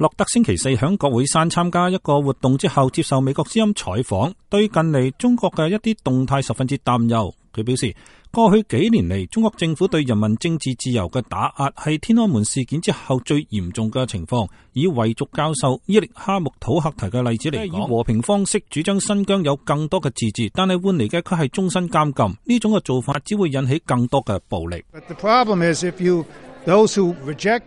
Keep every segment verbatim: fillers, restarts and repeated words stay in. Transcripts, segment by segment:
洛特星期四響國會山參加一個活動之後，接受美國之音採訪，對近嚟中國嘅一啲動態十分之擔憂。佢表示，過去幾年嚟，中國政府對人民政治自由嘅打壓係天安門事件之後最嚴重嘅情況。以維族教授伊力哈木土克提嘅例子嚟講，以和平方式主張新疆有更多嘅自治，但係換嚟嘅佢係終身監禁。呢種嘅做法只會引起更多嘅暴力。But the problem is if you, those who reject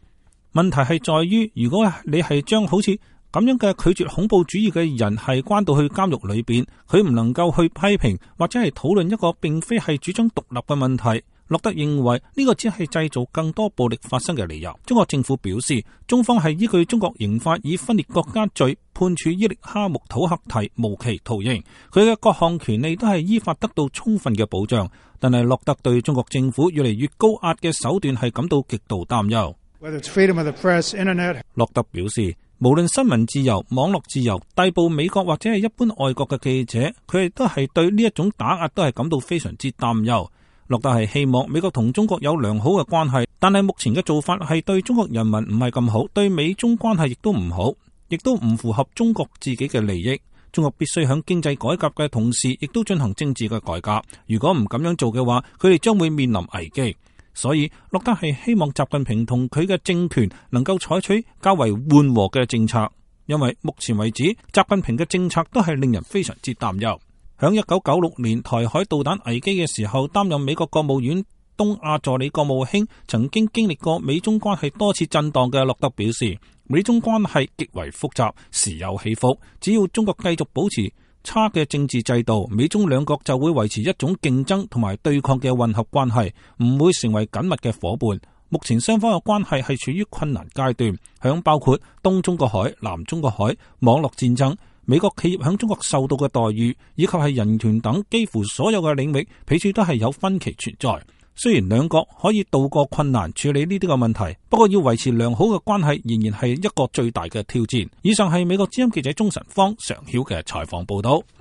問題係在於，如果你係將好似咁樣嘅拒絕恐怖主義嘅人係關到去監獄裏邊，佢唔能夠去批評或者係討論一個並非係主張獨立嘅問題。洛特認為呢個只係製造更多暴力發生嘅理由。中國政府表示，中方係依據中國刑法以分裂國家罪判處伊力哈木土克提無期徒刑，佢嘅各項權利都係依法得到充分嘅保障。但係洛特對中國政府越嚟越高壓嘅手段係感到極度擔憂。Whether it's freedom of the press, internet. 洛特表示，無論新聞自由、網絡自由，逮捕美國或者係一般外國嘅記者，佢哋都係對呢一種打壓都係感到非常之擔憂。洛特係希望美國同中國有良好嘅關係，但係目前嘅做法係對中國人民唔係咁好，對美中關係亦都唔好，亦都唔符合中國自己嘅利益。中國必須響經濟改革嘅同時，亦都進行政治嘅改革。如果唔咁樣做嘅話，佢哋將會面臨危機。所以，洛特係希望習近平同佢嘅政權能夠採取較為緩和嘅政策，因為目前為止，習近平嘅政策都係令人非常之擔憂。響一九九六年台海導彈危機嘅時候，擔任美國國務院東亞助理國務卿，曾經經歷過美中關係多次震盪嘅洛特表示，美中關係極為複雜，時有起伏。只要中國繼續保持差嘅政治制度，美中兩國就會維持一種競爭同埋對抗嘅混合關係，唔會成為緊密嘅夥伴。目前雙方嘅關係係處於困難階段，響包括東中國海、南中國海、網絡戰爭、美國企業響中國受到嘅待遇，以及係人權等幾乎所有嘅領域，彼此都係有分歧存在。雖然兩國可以渡過困難處理呢啲個問題，不過要維持良好嘅關係仍然係一個最大嘅挑戰。以上係美國之音記者鍾晨芳常曉嘅採訪報道。